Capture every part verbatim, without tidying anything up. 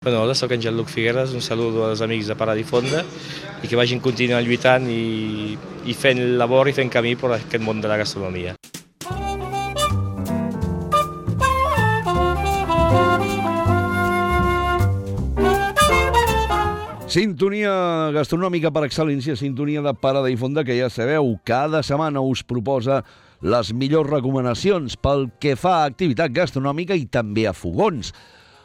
Bueno, hola, soc en Jean-Luc Figueres, un saludo als amics de Paradifonda i que vagin continuant lluitant i, i fent labor i fent camí per aquest món de la gastronomia. Sintonia gastronòmica per excel·lència, sintonia de Paradifonda, que ja sabeu, cada setmana us proposa les millors recomanacions pel que fa a activitat gastronòmica i també a fogons.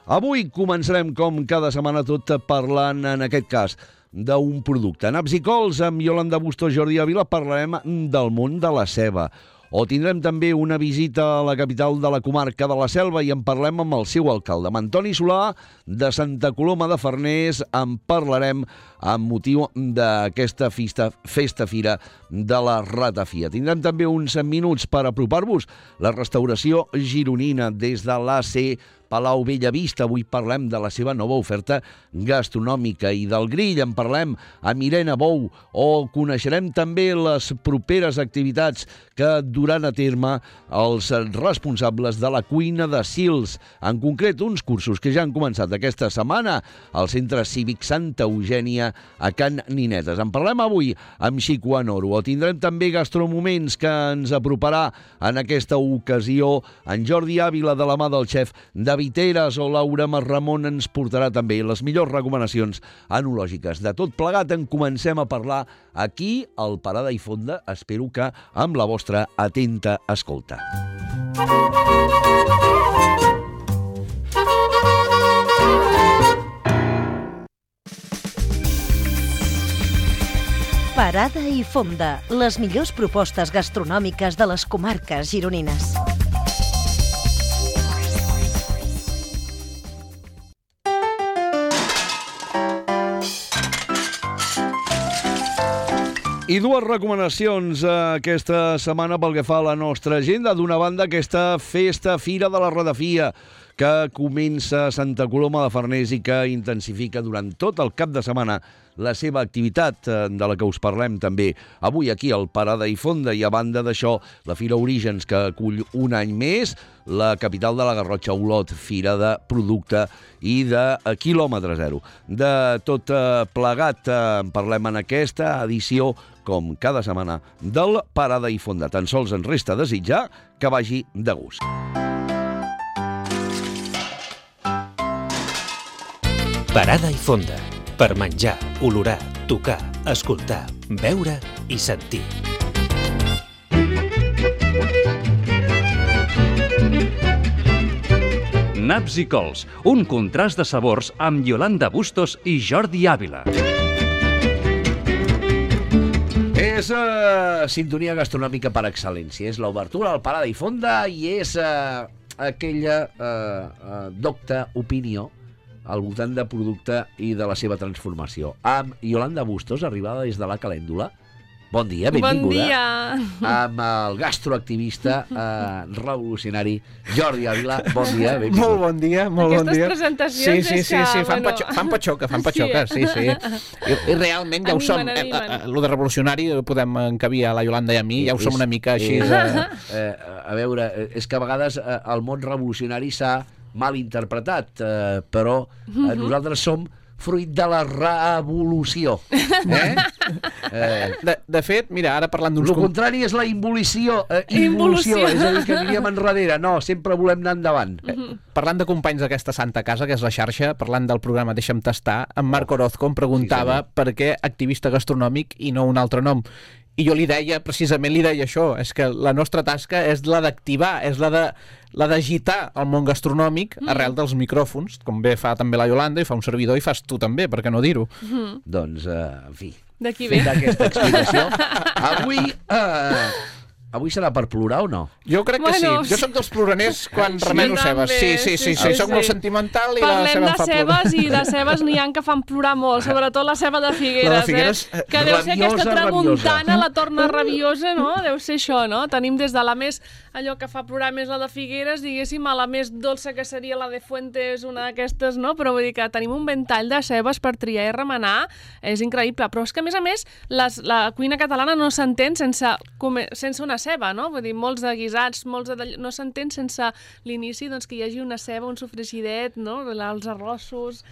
Avui començarem, com cada setmana, tot parlant, en aquest cas, d'un producte. Naps i cols, amb Iolanda Bustos, Jordi Ávila, parlarem del món de la ceba. O tindrem també una visita a la capital de la comarca de la Selva i en parlem amb el seu alcalde, amb Antoni Solà, de Santa Coloma de Farners. En parlarem amb motiu d'aquesta festa, festa fira de la ratafia. Tindrem també uns minuts per apropar-vos la restauració gironina des de l'A C Palau Bellavista. Avui parlem de la seva nova oferta gastronòmica i del grill. En parlem amb Irene Bou, o coneixerem també les properes activitats que duran a terme els responsables de la cuina de Sils. En concret, uns cursos que ja han començat aquesta setmana al Centre Cívic Santa Eugènia a Can Ninetes. En parlem avui amb Xico Anoro. O tindrem també Gastromoments, que ens aproparà en aquesta ocasió en Jordi Ávila, de la mà del xef David Viteres, o Laura Marramon ens portarà també les millors recomanacions enològiques. De tot plegat en comencem a parlar aquí al Paradifonda, espero que amb la vostra atenta escolta. Parada i Fonda, les millors propostes gastronòmiques de les comarques gironines. I dues recomanacions aquesta setmana pel que fa a la nostra agenda. D'una banda, aquesta festa fira de la ratafia, que comença a Santa Coloma de Farners i que intensifica durant tot el cap de setmana la seva activitat, de la que us parlem també avui aquí al Paradifonda. I a banda d'això, la Fira Orígens, que acull un any més la capital de la Garrotxa, Olot, fira de producte i de quilòmetre zero. De tot plegat en parlem en aquesta edició, com cada setmana, del Paradifonda. Tan sols ens resta desitjar que vagi de gust. Parada i Fonda, per menjar, olorar, tocar, escoltar, veure i sentir. Naps i cols, un contrast de sabors amb Iolanda Bustos i Jordi Ávila. És uh, sintonia gastronòmica per excel·lència. És l'obertura al Paradifonda i és uh, aquella uh, uh, docta opinió al voltant de producte i de la seva transformació. Amb Iolanda Bustos, arribada des de la Calèndula. Bon dia, benvinguda. Bon dia. Amb el gastroactivista eh, revolucionari Jordi Ávila. Bon dia, benvinguda. Molt bon dia, molt Aquestes bon dia. Aquestes presentacions sí, sí, és sí, que... Sí, fan, bueno... patxo, fan patxoca, fan patxoca, sí, sí. I, i realment ja ho som. Eh, eh, lo de revolucionari podem encabir a la Yolanda i a mi, ja ho som una mica així. Eh, eh, a veure, és que a vegades eh, el món revolucionari s'ha mal interpretat, eh, però eh, nosaltres som fruit de la revolució. Eh? Eh, de, de fet, mira, ara parlant d'uns... El contrari és la involució. Eh, involució, és a dir, que aniríem enrere. No, sempre volem anar endavant. Eh, parlant de companys d'aquesta Santa Casa, que és la xarxa, parlant del programa Deixa'm tastar, en Marc Orozco em preguntava sí, per què activista gastronòmic i no un altre nom. I jo li deia, precisament li deia això, és que la nostra tasca és la d'activar, és la de la d'agitar el món gastronòmic mm. arrel dels micròfons, com bé fa també la Yolanda i fa un servidor i fas tu també, per què no dir-ho? Mm. Doncs, eh, en fi, d'aquí ve d'aquesta explicació. Avui... Eh, Avui serà per plorar o no? Jo crec que bueno, sí. Jo soc dels ploraners quan sí, remeno cebes. Sí, sí, sí, sí, sí. Soc sí. molt sentimental i Parlem la ceba em fa cebes plorar. I de cebes n'hi ha que fan plorar molt, sobretot la ceba de Figueres, la de Figueres eh? Que deu ser aquesta tramuntana, rabiosa. La torna rabiosa, no? Deu ser això, no? Tenim des de la més, allò que fa plorar més la de Figueres, diguéssim, a la més dolça que seria la de Fuentes, una d'aquestes, no? Però vull dir que tenim un ventall de cebes per triar i remenar, és increïble. Però és que, a més a més, les, la cuina catalana no s'entén sense, sense una ceba, no? Vull dir, molts de guisats, molts de... no s'entén sense l'inici doncs, que hi hagi una ceba, un sofregidet, no? Els arrossos...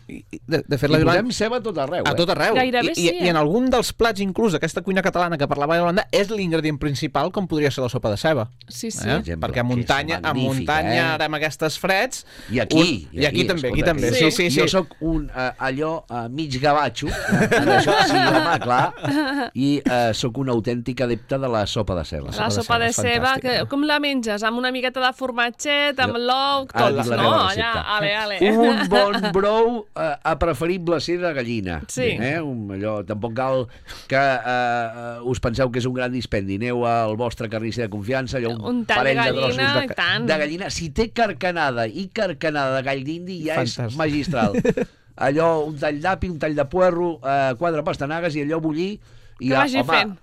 I, de, de fet, I la posem ceba a tot arreu, a eh? tot arreu. Gairebé I, sí, i, eh? I en algun dels plats, inclús, aquesta cuina catalana que parlava a Iolanda, és l'ingredient principal, com podria ser la sopa de ceba. Sí, sí. Eh? exemple, Perquè a que és muntanya, a magnífic, muntanya, eh? ara amb aquestes freds... I aquí, un... I aquí també, aquí escolta, també. que Sí, sí, sí. Jo sóc un, uh, allò, uh, mig gavatxo, en això sí, home, clar, i uh, sóc un autèntic adepte de la sopa de ceba. La sopa de ceba, que, com la menges? Amb una miqueta de formatget, amb l'ou, Ah, tots, la no? meva Allà, recepta. ale, ale. Un bon brou, uh, a preferible ser de gallina. Sí. Eh? Un, allò, tampoc cal que uh, us penseu que és un gran dispendi. Aneu al vostre carnisser de confiança, allò, un, Un tall de parell de gallina, trossos de, tant. de gallina. Si té carcanada i carcanada de gall d'indi, ja Fantàstic. és magistral. Allò, un tall d'api, un tall de puerro, uh, quatre pastanagues i allò bullir. I Que ja, vagi home, fent.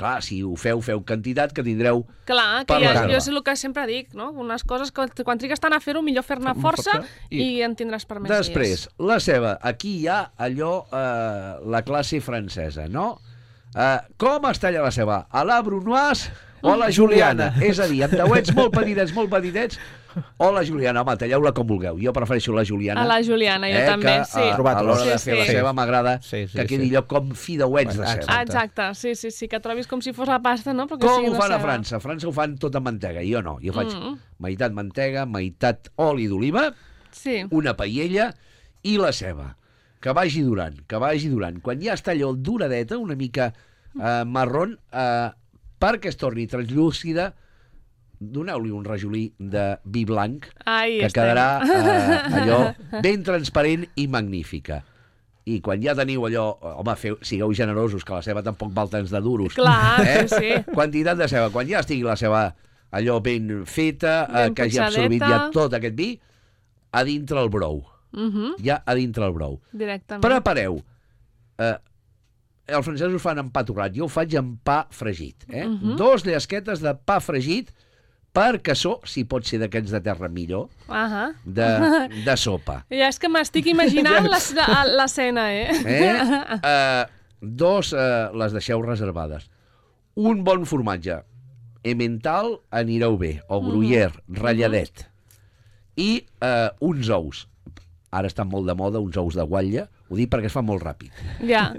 clar, si ho feu, feu quantitat que tindreu... Clar, que per ja, reserva. jo és el que sempre dic, no? Unes coses que quan trigues tant a fer-ho, millor fer-ne força i... i en tindràs per més Després, dies. la ceba. Aquí hi ha allò, eh, la classe francesa, no? Eh, com es talla la ceba? A la brunoise o a la juliana? És a dir, amb dauets molt petitets, molt petitets, o la juliana. Home, talleu-la com vulgueu. Jo prefereixo la juliana. A la juliana, jo eh, també, que, sí. A, a l'hora Sí, de fer sí. la ceba m'agrada Sí, sí, que quedi sí. allò com fideuets de Exacte. ceba. Ah, exacte, sí, sí, sí, que trobis com si fos la pasta, no? Però que Com sigui ho una fan a ceba. França? A França ho fan tot amb mantega. Jo no. Jo faig Mm. meitat mantega, meitat oli d'oliva, Sí. una paella i la ceba. Que vagi durant, que vagi durant. Quan ja està allò duradeta, una mica eh, marron, eh, perquè es torni translúcida, doneu-li un rajolí de vi blanc, Ai, que estem. quedarà eh, allò ben transparent i magnífica. I quan ja teniu allò... Home, feu, sigueu generosos, que la ceba tampoc val tants de duros. Clar, eh? sí, sí. Quantitat de ceba. Quan ja estigui la ceba allò ben feta, eh, Ben que hagi potxadeta. absorbit ja tot aquest vi, a dintre el brou. Uh -huh. Ja a dintre el brou. Directament. Prepareu. Eh, els francesos fan amb pa torrat, jo ho faig amb pa fregit. Eh? Mhm. Dos llesquetes de pa fregit per cassó, si pot ser d'aquests de terra millor, Ahà. de, de sopa. Ja és que m'estic imaginant la- l'escena, eh? Eh? Eh, dos eh, les deixeu reservades. Un bon formatge. Emmental anireu bé, o gruyère, ratlladet. I eh, uns ous. Ara estan molt de moda uns ous de guatlla. Ho dic perquè es fa molt ràpid. Ja.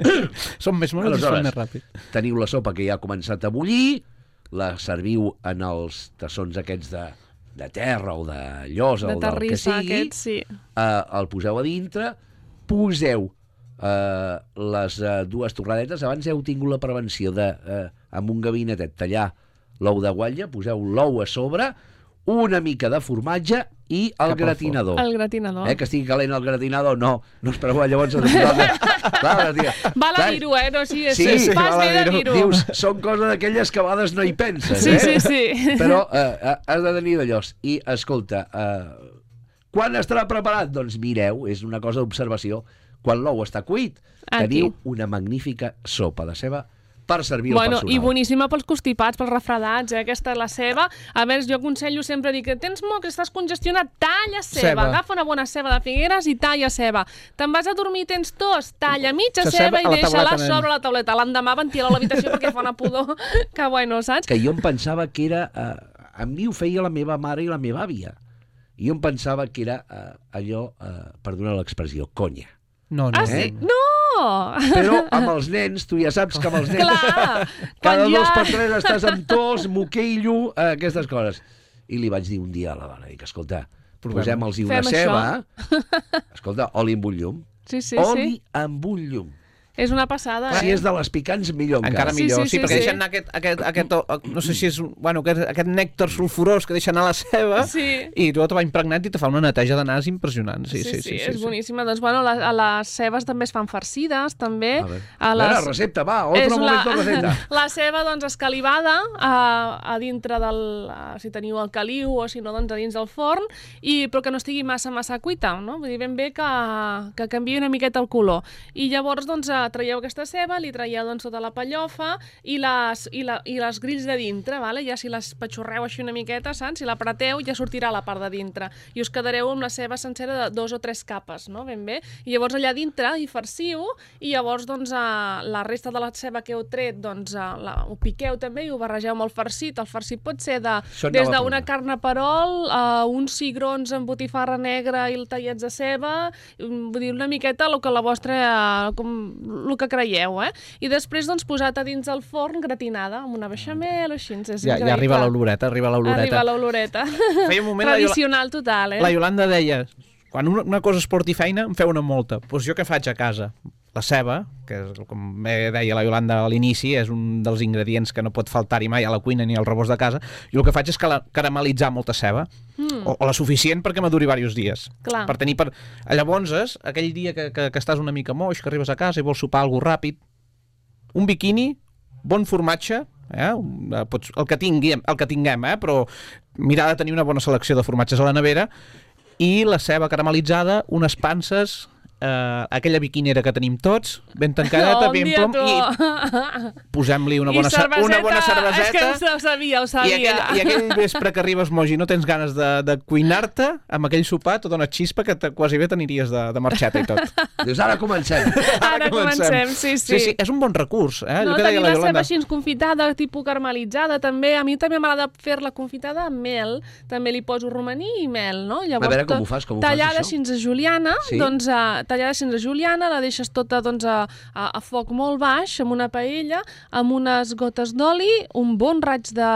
Són més monos i són Aleshores, més ràpid. teniu la sopa que ja ha començat a bullir, la serviu en els tassons aquests de, de terra o de llosa De o del que terrissa, sigui, aquest, sí. eh, el poseu a dintre, poseu eh, les eh, dues torradetes. Abans heu tingut la prevenció de, eh, amb un gabinetet, tallar l'ou de guatlla, poseu l'ou a sobre, una mica de formatge i el Cap al gratinador. El gratinador. Eh, que estigui calent el gratinador, no, no espereu llavors a posar... Clar, dir, Val a clar, dir-ho, eh? No, sí, Sí, sí, sí, fas val a bé de dir-ho. dir-ho. Dius, són coses d'aquelles que a vegades no hi penses, Sí, eh? sí, sí. Però eh, eh, has de tenir d'allò. I, escolta, eh, quan estarà preparat? Doncs mireu, és una cosa d'observació. Quan l'ou està cuit, Aquí. teniu una magnífica sopa de ceba per servir Bueno, al personal. i boníssima pels constipats, pels refredats, eh? Aquesta és la ceba. A veure, jo aconsello sempre dir que tens mocs, estàs congestionat, talla ceba. Ceba. Agafa una bona ceba de Figueres i talla ceba. Te'n vas a dormir, tens tos, talla mitja La ceba ceba i a la deixa-la tauleta, nen. sobre la tauleta. L'endemà ventila l'habitació perquè fa una pudor. Que bueno, saps? Que jo em pensava que era... Eh, a mi ho feia la meva mare i la meva àvia. I jo em pensava que era eh, allò, eh, perdona l'expressió, conya. No, no. Ah, Eh? sí? No! Però amb els nens, tu ja saps que amb els nens... Clar! Cada quan dos ja- per tres estàs amb tos, moquillo, eh, aquestes coses. I li vaig dir un dia a la dona, dic, escolta, posem-los una Fem ceba, escolta, oli amb un llum, Sí, sí, oli sí. amb un llum. És una passada, Si eh? és de les picants, millor encara. Encara millor, Sí, sí, sí, sí, perquè sí. deixen anar aquest, aquest, aquest, no sé si és, bueno, aquest, aquest nèctar sulfurós que deixen anar la ceba Sí. i tu te va impregnat i te fa una neteja de nas impressionant. Sí, sí, sí, sí, és boníssima. Doncs, bueno, la, a les cebes també es fan farcides, també. A veure, A a veure, recepta, va, És otro momento la- receta. La ceba, doncs, escalivada a, a dintre del... A, si teniu el caliu o si no, doncs, a dins del forn, i, però que no estigui massa, massa cuita, no? Vull dir, ben bé que, que canviï una miqueta el color. I llavors, doncs, traieu aquesta ceba, li traieu doncs, tota la pellofa i les, i, la, i les grills de dintre, vale? Ja si les patxorreu així una miqueta, saps? Si la apreteu ja sortirà la part de dintre i us quedareu amb la ceba sencera de dos o tres capes, no? Ben bé. I llavors allà dintre hi farciu i llavors doncs, la resta de la ceba que heu tret doncs, la, ho piqueu també i ho barregeu amb el farcit. El farcit pot ser de, des d'una carn a perol a uns cigrons amb botifarra negra i tallets de ceba, vull dir, una miqueta el que la vostra, com, el que creieu, eh? I després, doncs, posat a dins del forn gratinada, amb una beixamel o així. És ja, ja arriba l'oloreta, arriba l'oloreta. Arriba l'oloreta. Tradicional total, eh? La Iolanda deia, quan una, una cosa es porti feina, em feu una molta. Doncs jo què faig a casa? La ceba, que és, com deia la Iolanda a l'inici, és un dels ingredients que no pot faltar-hi mai a la cuina ni al rebost de casa, i el que faig és caramelitzar molta ceba, mm. o, o la suficient perquè maduri diversos dies. Clar. Per tenir per... Llavors, aquell dia que, que, que estàs una mica moix, que arribes a casa i vols sopar alguna ràpid, un biquini, bon formatge, eh? Pots, el que tinguem, el que tinguem, eh? Però mirar de tenir una bona selecció de formatges a la nevera, i la ceba caramelitzada, unes panses... Uh, aquella biquinera que tenim tots, ben tancadeta, no, ben plom, i posem-li una, bona una bona cerveseta. És que ho sabia, ho sabia. I aquell, i aquell vespre que arribes moix i no tens ganes de, de cuinar-te, amb aquell sopar, tota una xispa que te, quasi bé t'aniries de, de marxeta i tot. Dius, ara comencem. Ara, ara comencem, sí, sí. Sí, sí, és un bon recurs. Eh? No, tenir la, la ceba així confitada, tipus caramelitzada, també. A mi també m'agrada fer-la confitada amb mel. També li poso romaní i mel, no? Llavors, a veure com ho fas, com ho fas, això. Tallada així a juliana, sí? doncs... Uh, tallada sense juliana, la deixes tota doncs, a, a, a foc molt baix, amb una paella, amb unes gotes d'oli, un bon raig de,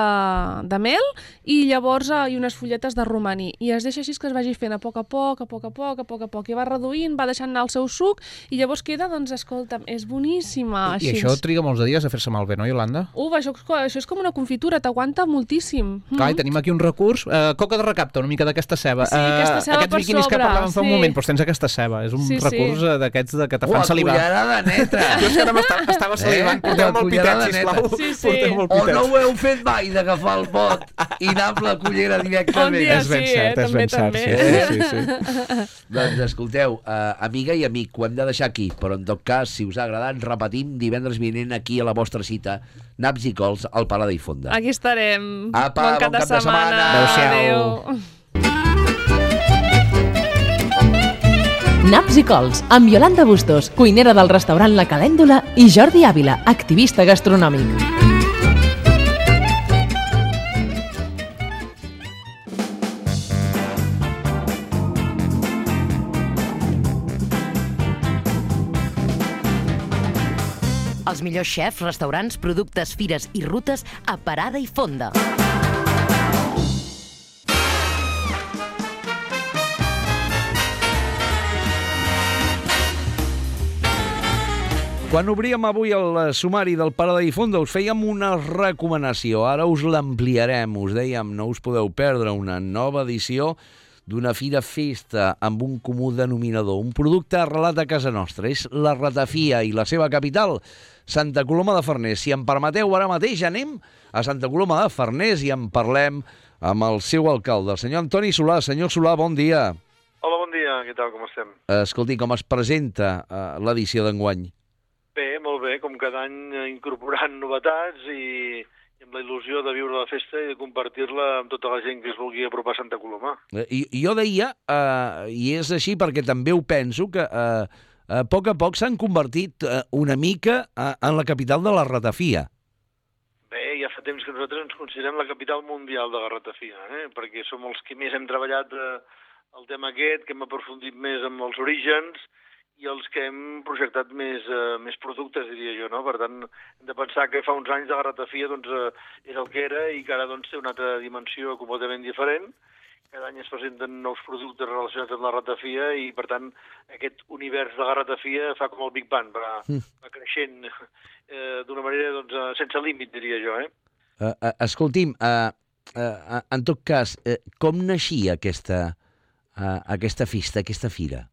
de mel i llavors uh, i unes fulletes de romaní. I es deixa així que es vagi fent a poc a poc, a poc a poc, a poc a poc, i va reduint, va deixant anar el seu suc i llavors queda, doncs, escolta'm, és boníssima. I, així. I això triga molts de dies a fer-se malbé, no, Iolanda? Uf, això, això és com una confitura, t'aguanta moltíssim. Clar, i tenim aquí un recurs, uh, coca de recapta, una mica d'aquesta ceba. Sí, aquesta ceba uh, aquests per biquinis sobre, que parlàvem fa sí. un moment, doncs tens aquesta ceba. És un sí, recurs sí. d'aquests de que te fan salivar. Oh, cullerada neta! Jo és que ara estava salivant. Eh? Porteu molt pitet, sisplau. Sí, sí. O no ho heu fet mai, d'agafar el pot i anar amb la cullera directament. Un dia és ben sí, cert, eh? és ben també, cert. també. Sí, sí, sí. Doncs escolteu, uh, amiga i amic, ho hem de deixar aquí, però en tot cas, si us ha agradat, repetim divendres vinent aquí a la vostra cita, Naps i Cols, al Paladar i Fonda. Aquí estarem. Apa, bon cap, bon cap de, de setmana. Adéu-siau. Adéu. Naps i Cols, amb Iolanda Bustos, cuinera del restaurant La Calèndula, i Jordi Ávila, activista gastronòmic. Els millors xefs, restaurants, productes, fires i rutes a Parada i Fonda. Quan obríem avui el sumari del Parada i Fonda us fèiem una recomanació, ara us l'ampliarem, us dèiem, no us podeu perdre una nova edició d'una fira festa amb un comú denominador, un producte arrelat a casa nostra, és la ratafia i la seva capital, Santa Coloma de Farners. Si em permeteu, ara mateix anem a Santa Coloma de Farners i en parlem amb el seu alcalde, el senyor Antoni Solà. Senyor Solà, bon dia. Hola, bon dia, què tal, com estem? Escolti, com es presenta uh, l'edició d'enguany? Bé, molt bé, com cada any incorporant novetats i, i amb la il·lusió de viure la festa i de compartir-la amb tota la gent que es vulgui apropar a Santa Coloma. I, jo deia, uh, i és així perquè també ho penso, que uh, a poc a poc s'han convertit uh, una mica uh, en la capital de la ratafia. Bé, ja fa temps que nosaltres ens considerem la capital mundial de la ratafia, eh? perquè som els que més hem treballat eh, el tema aquest, que hem aprofundit més amb els orígens i els que hem projectat més, eh, més productes, diria jo, no? Per tant, hem de pensar que fa uns anys de la ratafia doncs, eh, era el que era i que ara doncs, té una altra dimensió completament diferent. Cada any es presenten nous productes relacionats amb la ratafia i, per tant, aquest univers de la ratafia fa com el Big Bang, va, va creixent eh, d'una manera doncs, sense límit, diria jo. Eh? Uh, uh, escolti'm, uh, uh, en tot cas, uh, com naixia aquesta, uh, aquesta festa, aquesta fira?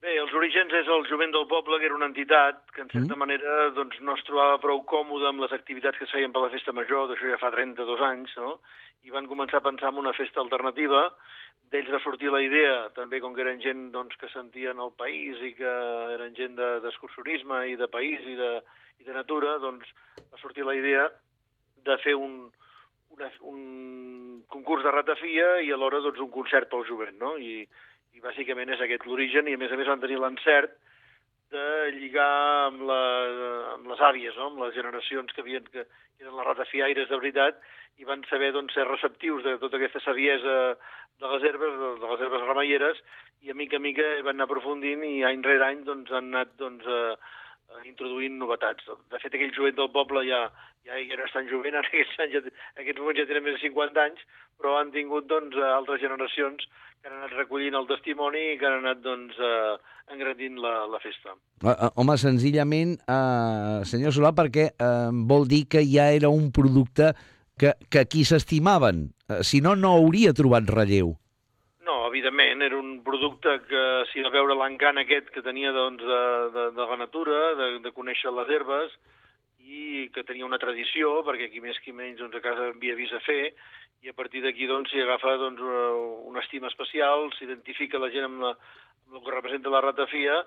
Bé, els orígens és el Jovent del Poble, que era una entitat que, en certa mm. manera, doncs, no es trobava prou còmode amb les activitats que es feien per la festa major, d'això ja fa trenta-dos anys, no? I van començar a pensar en una festa alternativa d'ells va sortir la idea, també com que eren gent doncs, que sentien el país i que eren gent d'excursionisme i de país i de, i de natura, doncs va sortir la idea de fer un, una, un concurs de ratafia i alhora doncs, un concert pel jovent, no? I, i bàsicament és aquest l'origen, i a més a més van tenir l'encert de lligar amb, la, amb les àvies, no? Amb les generacions que, havien, que eren les ratafiaires de veritat, i van saber doncs, ser receptius de tota aquesta saviesa de les herbes, de les herbes remeieres, i a mica a mica van anar aprofundint i any rere any doncs, han anat doncs, eh, introduint novetats. De fet, aquell jovent del poble ja, ja, ja no és tan jovent, en aquests, anys, ja, en aquests moments ja tenen més de cinquanta anys, però han tingut doncs, altres generacions que han anat recollint el testimoni i que han anat doncs, eh, engrandint la, la festa. Home, senzillament, eh, senyor Solà, perquè eh, vol dir que ja era un producte que, que aquí s'estimaven. Eh, si no, no hauria trobat relleu. No, evidentment, era un producte que s'hi va veure l'encant aquest que tenia doncs, de, de, de la natura, de, de conèixer les herbes, i que tenia una tradició, perquè qui més qui menys doncs, a casa havia vist a fer, i a partir d'aquí doncs, s'hi agafa doncs, una estima especial, s'identifica la gent amb, la, amb el que representa la ratafia,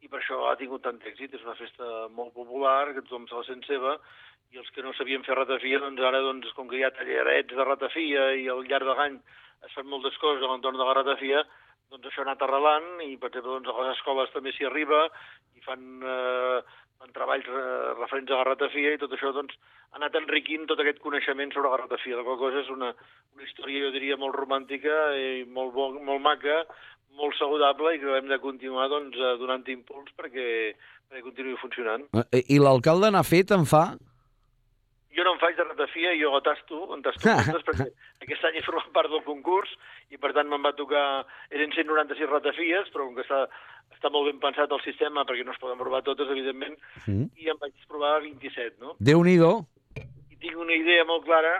i per això ha tingut tant èxit. És una festa molt popular, que tothom se la sent seva, i els que no sabien fer ratafia, doncs ara, doncs, com que hi ha tallerets de ratafia i al llarg de l'any es fan moltes coses a l'entorn de la ratafia, doncs això ha anat arrelant, i per exemple doncs, a les escoles també s'hi arriba i fan, eh, fan treballs eh, referents a la ratafia, i tot això doncs, ha anat enriquint tot aquest coneixement sobre la ratafia. La qual cosa és una, una història, jo diria, molt romàntica i molt, bo, molt maca, molt saludable, i que hem de continuar doncs, donant impuls perquè, perquè continuï funcionant. I l'alcalde n'ha fet, en fa? Jo no em faig de ratafia, jo la tasto, en tasto moltes, perquè aquest any he format part del concurs, i per tant me'n va tocar, eren cent noranta-sis ratafies, però com que està, està molt ben pensat el sistema, perquè no es poden provar totes, evidentment, mm. i em vaig provar vint-i-set, no? Déu-n'hi-do. I tinc una idea molt clara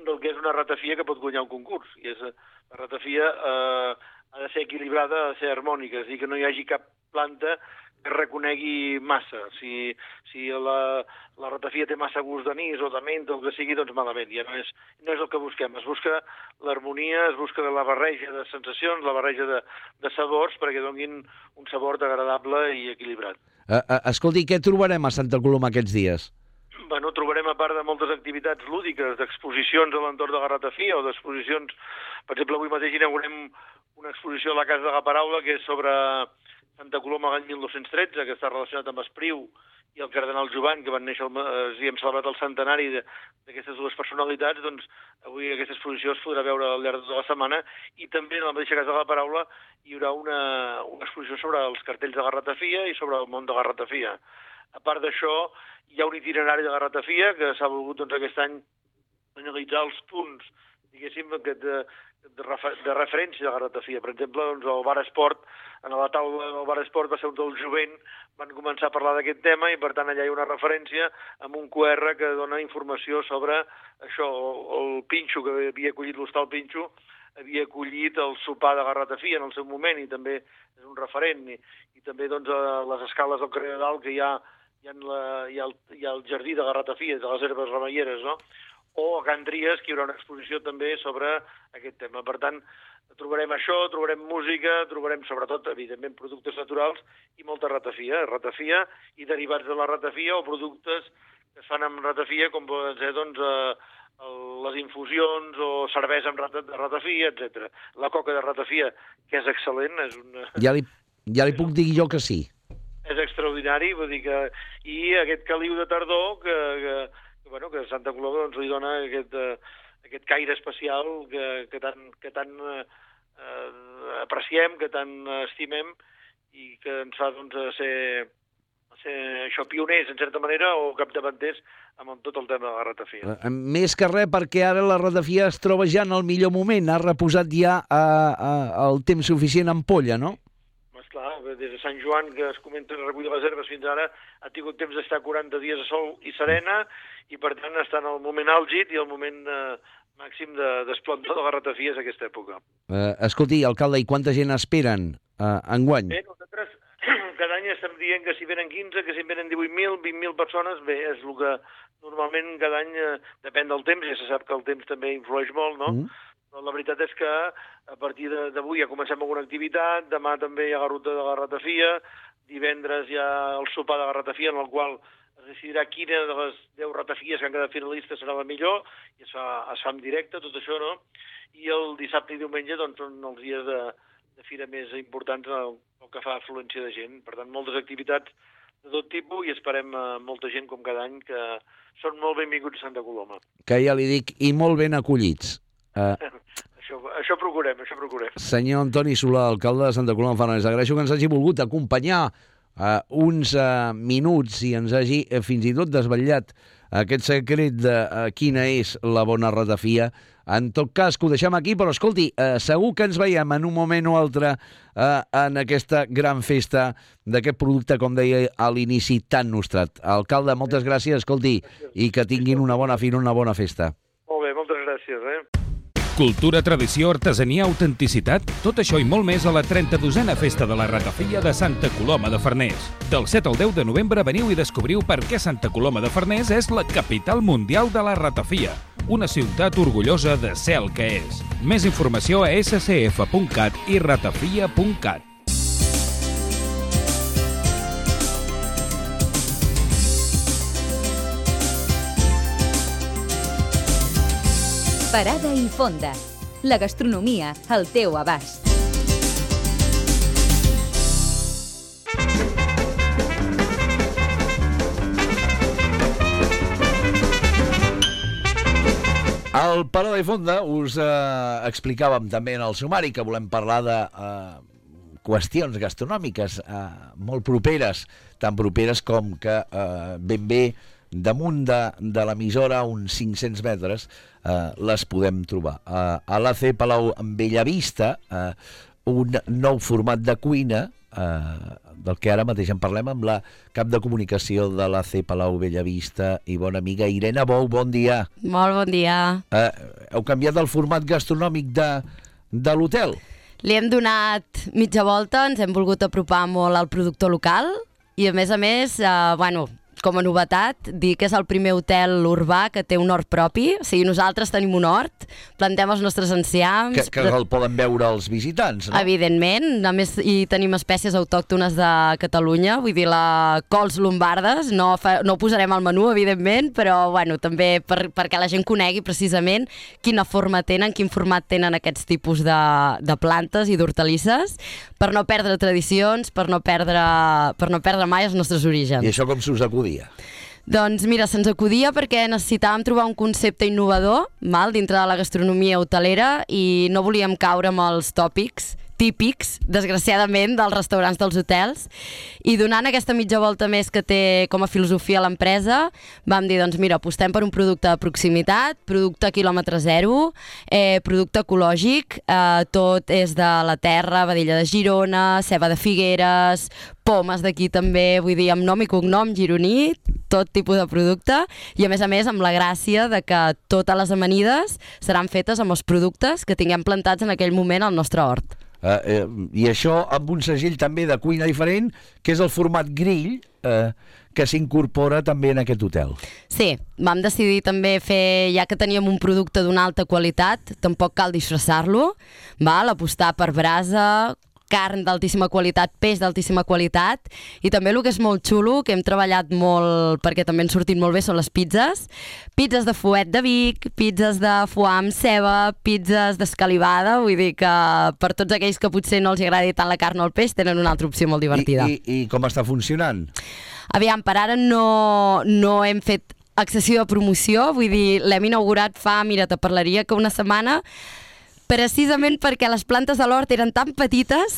del que és una ratafia que pot guanyar un concurs, i és la ratafia eh, ha de ser equilibrada, ha de ser harmònica, és a dir, que no hi hagi cap planta que reconegui massa. Si, si la, la ratafia té massa gust d'anís o de menta o el que sigui, doncs malament. Ja no és, no és el que busquem. Es busca l'harmonia, es busca la barreja de sensacions, la barreja de, de sabors, perquè donin un sabor agradable i equilibrat. Uh, uh, escolti, què trobarem a Santa Coloma aquests dies? Bueno, trobarem, a part de moltes activitats lúdiques, d'exposicions a l'entorn de la ratafia o d'exposicions... Per exemple, avui mateix inaugurem una exposició a la Casa de la Paraula que és sobre Santa Coloma l'any mil nou-cents tretze, que està relacionat amb Espriu i el cardenal Jovan, que van néixer, i hem celebrat el centenari d'aquestes dues personalitats. Doncs avui aquesta exposició es podrà veure al llarg de tota la setmana, i també en la mateixa Casa de la Paraula hi haurà una, una exposició sobre els cartells de la ratafia i sobre el món de la ratafia. A part d'això, hi ha un itinerari de la ratafia que s'ha volgut doncs, aquest any analitzar els punts, diguéssim, que de, de, refer, de referència de la ratafia. Per exemple, doncs, el Bar Esport, en la taula del Bar Esport va ser un del jovent, van començar a parlar d'aquest tema, i per tant allà hi ha una referència amb un Q R que dona informació sobre això. El Pinxo, que havia acollit l'Hostal Pinxo, havia acollit el sopar de la ratafia en el seu moment, i també és un referent. I, i també doncs, a les escales del carrer de Dalt, que hi ha, hi ha, la, hi ha, el, hi ha el jardí de la ratafia, de les herbes remeieres, no? O a Can Tries, que hi haurà una exposició també sobre aquest tema. Per tant, trobarem això, trobarem música, trobarem sobretot, evidentment, productes naturals i molta ratafia, ratafia i derivats de la ratafia, o productes que es fan amb ratafia, com poden ser doncs, eh, les infusions o cervesa amb ratafia, etcètera. La coca de ratafia, que és excel·lent, és una... Ja li, ja li puc dir jo que sí. És extraordinari, vull dir que... I aquest caliu de tardor que... que bueno, que Santa Coloma doncs, li dona aquest, uh, aquest caire especial que, que tant, que tant uh, apreciem, que tant estimem, i que ens fa doncs, ser, ser això, pioners, en certa manera, o capdavanters amb tot el tema de la ratafia. Uh, més que res, perquè ara la ratafia es troba ja en el millor moment, ha reposat ja uh, uh, el temps suficient en polla, no? Clar, des de Sant Joan, que es comenta a recollir les herbes, fins ara ha tingut temps d'estar quaranta dies a sol i serena, i per tant està en el moment àlgid i el moment eh, màxim d'esplendor de, de la ratafia és aquesta època. Uh, escolti, alcalde, i quanta gent esperen uh, enguany? Bé, nosaltres cada any estem dient que si venen quinze, que si venen divuit mil, vint mil persones, bé, és el que normalment cada any, eh, depèn del temps, ja se sap que el temps també influeix molt, no? Mm. però la veritat és que a partir d'avui ja comencem amb una activitat, demà també hi ha ruta de la ratafia, divendres hi ha el sopar de la ratafia, en el qual es decidirà quina de les deu ratafies que han quedat finalistes serà la millor, i es fa, es fa en directe, tot això, no? I el dissabte i diumenge doncs, són els dies de, de fira més importants el, el que fa afluència de gent. Per tant, moltes activitats de tot tipus i esperem uh, molta gent com cada any, que són molt benvinguts a Santa Coloma. Que ja li dic, i molt ben acollits. Uh... això, això procurem, això procurem. Senyor Antoni Solà, alcalde de Santa Coloma de Farners, agraeixo que ens hagi volgut acompanyar uh, uns uh, minuts i ens hagi uh, fins i tot desvetllat aquest secret de uh, quina és la bona ratafia. En tot cas, que ho deixem aquí, però escolti, eh, segur que ens veiem en un moment o altre eh, en aquesta gran festa d'aquest producte, com deia a l'inici, tan nostrat. Alcalde, moltes gràcies, escolti, i que tinguin una bona fira, una bona festa. Molt bé, moltes gràcies, eh? Cultura, tradició, artesania, autenticitat, tot això i molt més a la trenta-dosena Festa de la Ratafia de Santa Coloma de Farners. Del set al deu de novembre veniu i descobriu per què Santa Coloma de Farners és la capital mundial de la ratafia. Una ciutat orgullosa de ser el que és. Més informació a esse ce efe punt cat i ratafia punt cat. Parada i fonda. La gastronomia al teu abast. Al Parada i Fonda us eh, explicàvem també en el sumari que volem parlar de eh, qüestions gastronòmiques eh, molt properes, tan properes com que eh, ben bé damunt de, de l'emissora, uns cinc-cents metres, eh, les podem trobar. Eh, a l'A C Palau Bellavista, eh, un nou format de cuina, eh, del que ara mateix en parlem amb la cap de comunicació de l'A C Palau Bellavista i bona amiga Irene Bou. Bon dia. Molt bon dia. Eh, heu canviat el format gastronòmic de, de l'hotel? Li hem donat mitja volta, ens hem volgut apropar molt al productor local i a més a més, eh, bueno, com a novetat, dir que és el primer hotel urbà que té un hort propi. O sigui, nosaltres tenim un hort, plantem els nostres enciams... Que, que el poden veure els visitants, no? Evidentment. A més, hi tenim espècies autòctones de Catalunya, vull dir, la cols lombardes, no, fa, no ho posarem al menú, evidentment, però bueno, també per, perquè la gent conegui precisament quina forma tenen, quin format tenen aquests tipus de, de plantes i d'hortalisses, per no perdre tradicions, per no perdre, per no perdre mai els nostres orígens. I això com s'us acudia? Doncs mira, se'ns acudia perquè necessitàvem trobar un concepte innovador mal, dintre de la gastronomia hotelera i no volíem caure amb els tòpics típics, desgraciadament, dels restaurants dels hotels. I donant aquesta mitja volta més que té com a filosofia l'empresa, vam dir, doncs mira, apostem per un producte de proximitat, producte quilòmetre zero, eh, producte ecològic, eh, tot és de la terra, vedella de Girona, ceba de Figueres, pomes d'aquí també, vull dir, amb nom i cognom gironí, tot tipus de producte, i a més a més amb la gràcia de que totes les amanides seran fetes amb els productes que tinguem plantats en aquell moment al nostre hort. Uh, eh, I això amb un segell també de cuina diferent, que és el format grill, eh, que s'incorpora també en aquest hotel. Sí, vam decidir també fer, ja que teníem un producte d'una alta qualitat, tampoc cal disfressar-lo, val? Apostar per brasa, carn d'altíssima qualitat, peix d'altíssima qualitat, i també el que és molt xulo, que hem treballat molt perquè també han sortit molt bé, són les pizzas. Pizzas de fuet de Vic, pizzas de foie amb ceba, pizzas d'escalivada, vull dir que per tots aquells que potser no els agradi tant la carn o el peix, tenen una altra opció molt divertida. I, i, i com està funcionant? Aviam, per ara no, no hem fet excessiva promoció, vull dir, l'hem inaugurat fa, mira, te parlaria que una setmana, precisament perquè les plantes de l'hort eren tan petites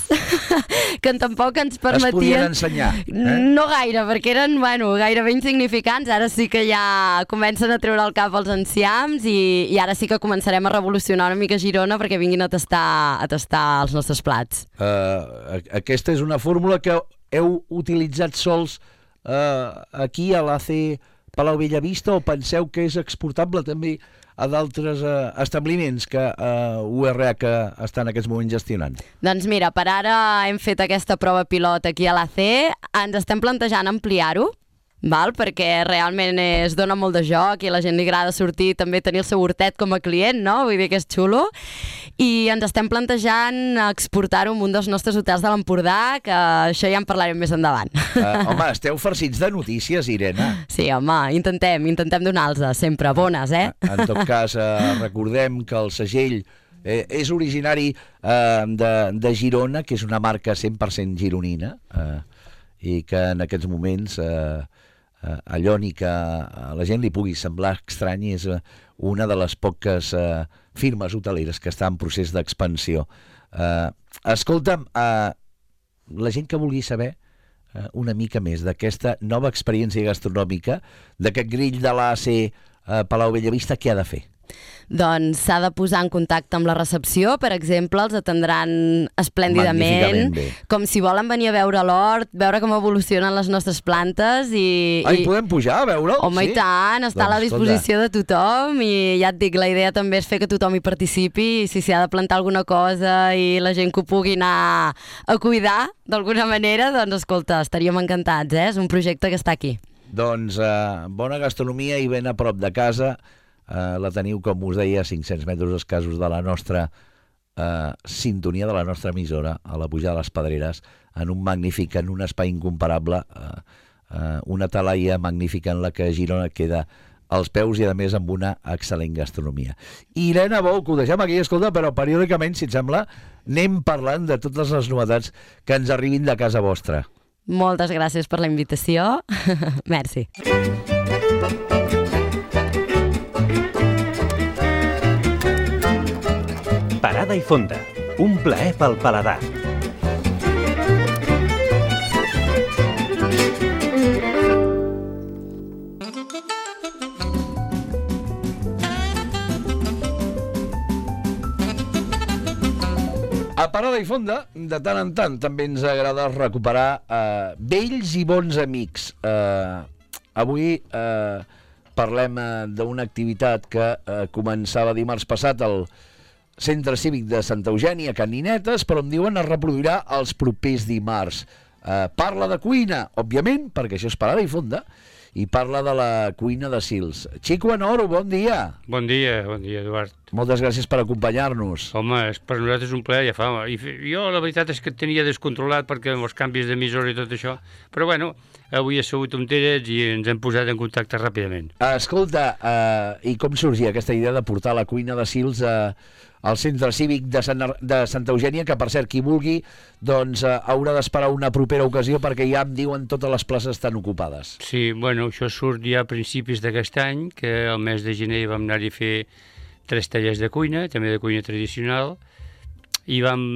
que tampoc ens permetien... Es podien ensenyar. Eh? No gaire, perquè eren, bueno, gairebé insignificants. Ara sí que ja comencen a treure el cap els enciams i, i ara sí que començarem a revolucionar una mica Girona perquè vinguin a tastar, a tastar els nostres plats. Uh, aquesta és una fórmula que heu utilitzat sols uh, aquí a l'A C Palau Bellavista o penseu que és exportable també a d'altres eh, establiments que eh, U R H està en aquests moments gestionant? Doncs mira, per ara hem fet aquesta prova pilot aquí a l'A C, ens estem plantejant ampliar-ho, val? Perquè realment es dona molt de joc i a la gent li agrada sortir, també tenir el seu hortet com a client, no? Vull dir que és xulo. I ens estem plantejant exportar-ho en un dels nostres hotels de l'Empordà, que això ja en parlarem més endavant. Uh, home, esteu farcits de notícies, Irene. Sí, home, intentem, intentem donar-los sempre, bones, eh? En tot cas, eh, recordem que el segell Eh, és originari eh, de, de Girona, que és una marca cent per cent gironina, eh, i que en aquests moments eh, eh, allò ni que a la gent li pugui semblar estrany, és una de les poques eh, firmes hoteleres que està en procés d'expansió. Eh, escolta'm, eh, la gent que vulgui saber eh, una mica més d'aquesta nova experiència gastronòmica, d'aquest grill de l'A C eh, Palau Bellavista, què ha de fer? Doncs s'ha de posar en contacte amb la recepció, per exemple, els atendran esplèndidament, com si volen venir a veure l'hort, veure com evolucionen les nostres plantes i... Ah, i podem pujar a veure'l? Home, sí? I tant, està doncs, a la disposició escolta. de tothom i ja et dic, la idea també és fer que tothom hi participi i si s'hi ha de plantar alguna cosa i la gent que ho pugui anar a cuidar d'alguna manera, doncs escolta, estaríem encantats, eh? És un projecte que està aquí. Doncs eh, bona gastronomia i ben a prop de casa. Uh, la teniu, com us deia, a cinc-cents metres escassos de la nostra uh, sintonia, de la nostra emissora, a la pujada de les Pedreres, en un magnífic, en un espai incomparable, uh, uh, una talaia magnífica en la que Girona queda als peus i, a més, amb una excel·lent gastronomia. Irene Bou, que ho deixem aquí, escolta, però periòdicament, si et sembla, anem parlant de totes les novetats que ens arribin de casa vostra. Moltes gràcies per la invitació. Merci. Parada i fonda, un plaer pel paladar. A Parada i fonda, de tant en tant, també ens agrada recuperar eh, vells i bons amics. Eh, avui eh, parlem eh, d'una activitat que eh, començava dimarts passat al Centre Cívic de Santa Eugènia, a Can Ninetes, però em diuen es reproduirà els propers dimarts. Eh, parla de cuina, òbviament, perquè això és Parada i fonda, i parla de la cuina de Sils. Xico Anoro, bon dia. Bon dia, bon dia, Eduard. Moltes gràcies per acompanyar-nos. Home, és, per nosaltres és un plaer, ja fa. I jo la veritat és que et tenia descontrolat perquè amb els canvis d'emissora i tot això, però bueno, avui he sabut on eres i ens hem posat en contacte ràpidament. Escolta, eh, i com sorgia aquesta idea de portar la cuina de Sils a... Eh, al Centre Cívic de, Sant, de Santa Eugènia, que per cert, qui vulgui, doncs eh, haurà d'esperar una propera ocasió perquè ja em diuen totes les places estan ocupades. Sí, bueno, això surt ja a principis d'aquest any, que al mes de gener vam anar-hi a fer tres tallers de cuina, també de cuina tradicional, i vam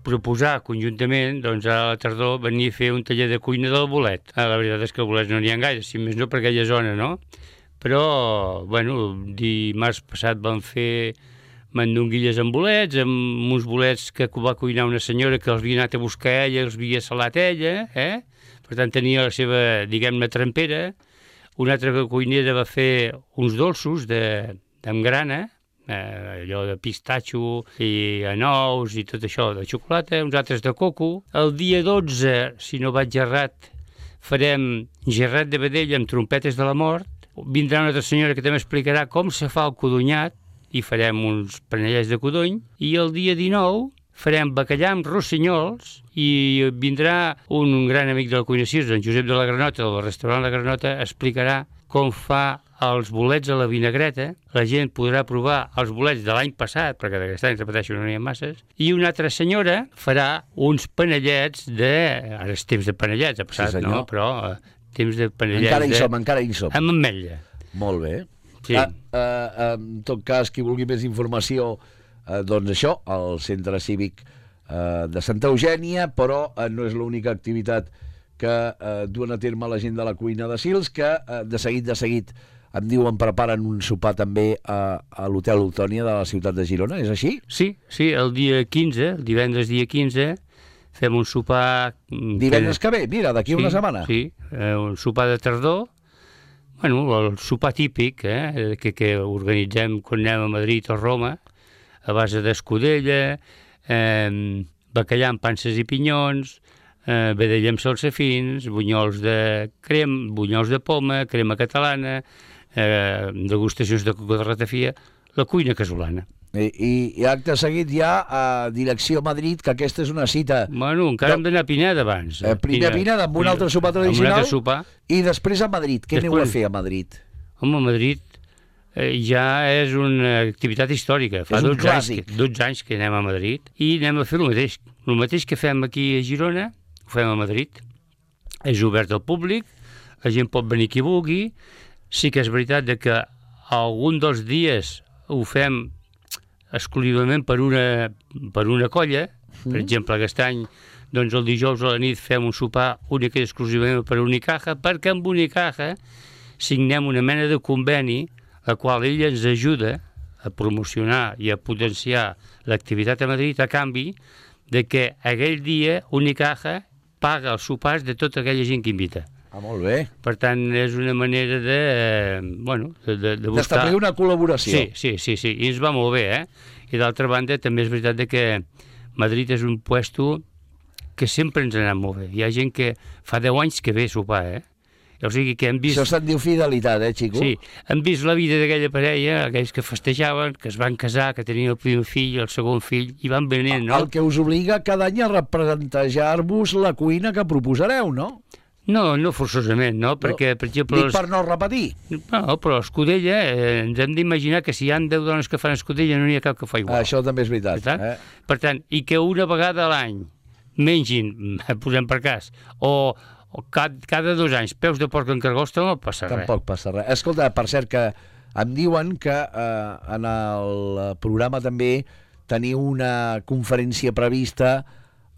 proposar conjuntament, doncs a la tardor, venir a fer un taller de cuina del bolet. Ah, la veritat és que el bolet no n'hi ha gaire, si més no per aquella zona, no? Però, bueno, dimarts passat vam fer mandonguilles amb bolets, amb uns bolets que va cuinar una senyora que els havia anat a buscar ella, els havia salat ella, eh? Per tant tenia la seva, diguem-ne, trempera. Una altra cuinera va fer uns dolços de, amb grana, eh, allò de pistatxo i anous i tot això de xocolata, uns altres de coco. El dia dotze, si no vaig errat, farem gerrat de vedella amb trompetes de la mort. Vindrà una altra senyora que també explicarà com se fa el codonyat, i farem uns panellets de codony, i el dia dinou farem bacallà amb rossinyols i vindrà un, un gran amic de la cuina Sils, en Josep de la Granota, del restaurant La Granota, explicarà com fa els bolets a la vinagreta. La gent podrà provar els bolets de l'any passat, perquè d'aquest any, repeteixo, no n'hi ha masses, i una altra senyora farà uns panellets de... Ara és temps de panellets, ha passat, sí, no? Però eh, temps de panellets... Encara hi de... som, encara hi som. Amb ametlla. Molt bé. Sí. Ah, eh, en tot cas, qui vulgui més informació, eh, doncs això, al Centre Cívic eh, de Santa Eugènia, però eh, no és l'única activitat que eh, duen a terme la gent de la cuina de Sils, que eh, de seguit, de seguit, em diuen, preparen un sopar també a, a l'Hotel Ultònia de la ciutat de Girona, és així? Sí, sí, el dia quinze, el divendres dia quinze, fem un sopar... Divendres que, que ve, mira, d'aquí sí, una setmana. Sí, eh, un sopar de tardor, bueno, el sopar típic eh, que, que organitzem quan anem a Madrid o Roma, a base d'escudella, eh, bacallà amb panses i pinyons, eh, vedella amb salsafins, bunyols de crem, bunyols de poma, crema catalana, eh, degustacions de coco de ratafia, la cuina casolana. I, i, i acte seguit ja a direcció Madrid, que aquesta és una cita... Bueno, encara hem d'anar a Pineda abans. Eh, primer a Pineda, amb un altre sopar tradicional, altre sopar. I després a Madrid. Què aneu a fer a Madrid? Home, a Madrid eh, ja és una activitat històrica. Fa és un dotze clàssic. anys, dotze anys que anem a Madrid i anem a fer el mateix. El mateix que fem aquí a Girona, ho fem a Madrid. És obert al públic, la gent pot venir qui vulgui. Sí que és veritat de que algun dels dies ho fem exclusivament per una, per una colla. Per exemple, aquest any, doncs el dijous a la nit fem un sopar únic i exclusivament per Unicaja, perquè amb Unicaja signem una mena de conveni, la qual ella ens ajuda a promocionar i a potenciar l'activitat a Madrid a canvi de que aquell dia Unicaja paga els sopars de tota aquella gent que invita. Ah, molt bé. Per tant, és una manera de, eh, bueno, de, de, de buscar... D'establir una col·laboració. Sí, sí, sí, sí, i ens va molt bé, eh? I d'altra banda, també és veritat de que Madrid és un puesto que sempre ens ha anat molt bé. Hi ha gent que fa deu anys que ve a sopar, eh? O sigui que hem vist... Això se'n diu fidelitat, eh, Xico? Sí, hem vist la vida d'aquella parella, aquells que festejaven, que es van casar, que tenien el primer fill, el segon fill, i van venint, no? El que us obliga cada any a representar-vos la cuina que proposareu, no? No, no forçosament, no? Perquè, per exemple... Dic per no repetir. No, però escudella, eh, ens hem d'imaginar que si hi ha deu dones que fan escudella no n'hi ha cap que fa igual. Això també és veritat. Per tant, eh? per tant i que una vegada a l'any mengin, posem per cas, o, o cada, cada dos anys peus de porc en cargosta, no passa res. Tampoc passa res. Escolta, per cert, que em diuen que eh, en el programa també teniu una conferència prevista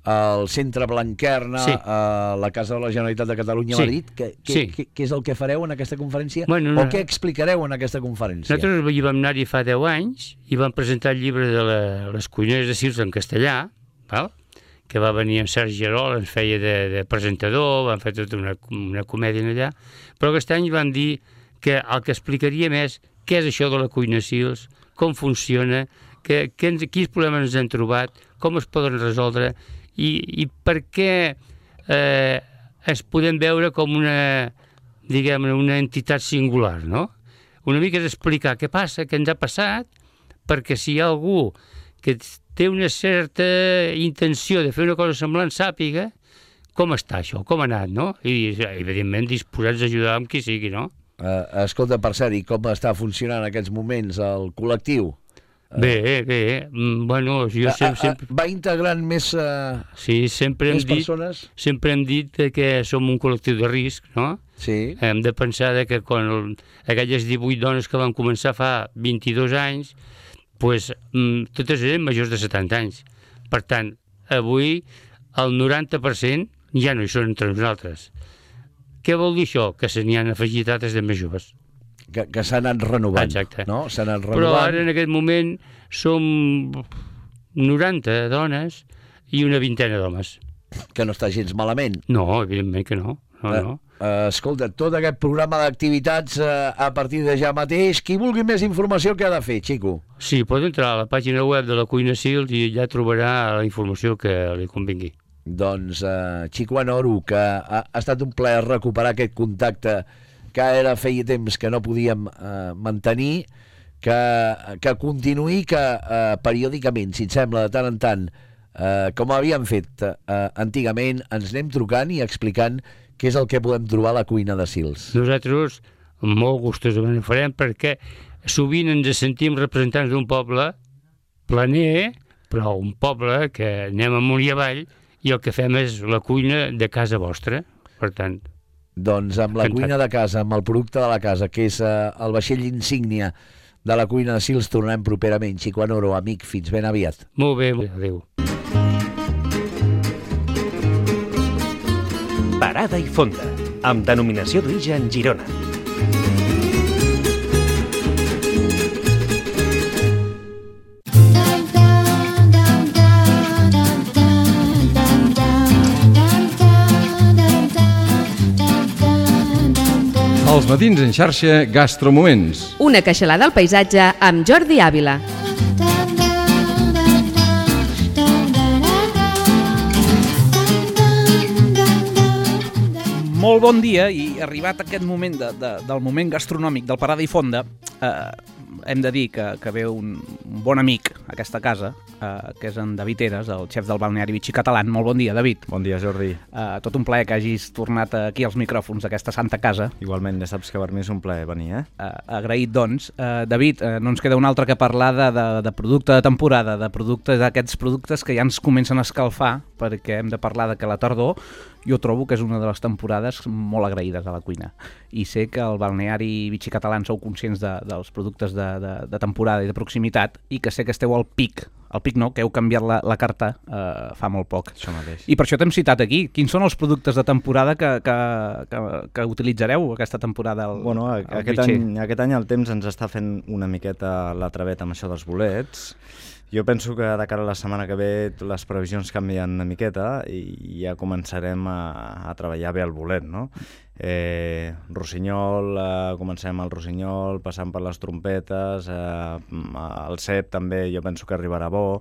al Centre Blanquerna, sí. a la Casa de la Generalitat de Catalunya a sí. Madrid. Què sí. és el que fareu en aquesta conferència? Bueno, o no. què explicareu en aquesta conferència? Nosaltres hi vam anar-hi fa deu anys i vam presentar el llibre de la, les cuineres de Sils en castellà, val? Que va venir en Sergi Gerol, ens feia de, de presentador, vam fer tota una, una comèdia allà, però aquest any vam dir que el que explicaríem és què és això de la cuina Sils, com funciona, que, que ens, quins problemes ens hem trobat, com es poden resoldre, I, i per què eh, es podem veure com una, diguem, una entitat singular, no? Una mica és explicar què passa, què ens ha passat, perquè si hi ha algú que té una certa intenció de fer una cosa semblant, sàpiga com està això, com ha anat, no? I, evidentment, disposats a ajudar amb qui sigui, no? Uh, escolta, per cert, i com està funcionant en aquests moments el col·lectiu? Bé, bé, bueno, jo sempre... sempre... Va integrant més, uh, sí, sempre més hem dit, persones? Sempre hem dit que som un col·lectiu de risc, no? Sí. Hem de pensar que quan el, aquelles divuit dones que van començar fa vint-i-dos anys, pues, totes eren majors de setanta anys. Per tant, avui el noranta per cent ja no hi són entre nosaltres. Què vol dir això? Que se n'hi han afegit altres de més joves. Que, que s'ha anat renovant. Exacte. No? S'ha anat renovant. Però ara, en aquest moment, som noranta dones i una vintena d'homes. Que no està gens malament. No, evidentment que no. no, uh, no. Uh, escolta, tot aquest programa d'activitats uh, a partir de ja mateix, qui vulgui més informació, què ha de fer, Xico? Sí, pot entrar a la pàgina web de la Cuina Sils i ja trobarà la informació que li convingui. Doncs, uh, Xico Anoro, que ha, ha estat un plaer recuperar aquest contacte que ara feia temps que no podíem eh, mantenir, que, que continuï, que eh, periòdicament, si et sembla, de tant en tant, eh, com havíem fet eh, antigament, ens anem trucant i explicant què és el que podem trobar a la cuina de Sils. Nosaltres molt gustosament ho farem perquè sovint ens sentim representants d'un poble planer, però un poble que anem amunt i avall i el que fem és la cuina de casa vostra, per tant... Doncs amb la cuina de casa, amb el producte de la casa, que és uh, el vaixell insígnia de la cuina de Sils, tornem properament. Xico Anoro, amic, fins ben aviat. Molt bé, adéu. Parada i fonda, amb denominació d'origen Girona. Els matins en xarxa Gastromoments. Una queixalada al paisatge amb Jordi Àvila. Molt bon dia, i arribat aquest moment de, de, del moment gastronòmic del Parada i Fonda, eh, hem de dir que, que ve un, un bon amic a aquesta casa, eh, que és en David Eres, el xef del balneari Vichy Catalan. Molt bon dia, David. Bon dia, Jordi. Eh, tot un plaer que hagis tornat aquí als micròfons d'aquesta santa casa. Igualment, ja saps que per mi és un plaer venir, eh? eh agraït, doncs. Eh, David, eh, no ens queda un altre que parlar de, de, de producte de temporada, de productes d'aquests productes que ja ens comencen a escalfar, perquè hem de parlar de que la tardor jo trobo que és una de les temporades molt agraïdes a la cuina. I sé que al balneari Vichy Catalan sou conscients de, dels productes de, de, de temporada i de proximitat, i que sé que esteu al pic, al pic no, que heu canviat la, la carta eh, fa molt poc. Això mateix. I per això t'hem citat aquí. Quins són els productes de temporada que, que, que, que utilitzareu aquesta temporada al, bueno, a, al aquest, Vichy? any, aquest any el temps ens està fent una miqueta la travet amb això dels bolets. Jo penso que de cara a la setmana que ve les previsions canvien una miqueta i ja començarem a, a treballar bé el bolet, no? Eh, rossinyol, eh, comencem el rossinyol, passant per les trompetes, eh, el cep també jo penso que arribarà bo,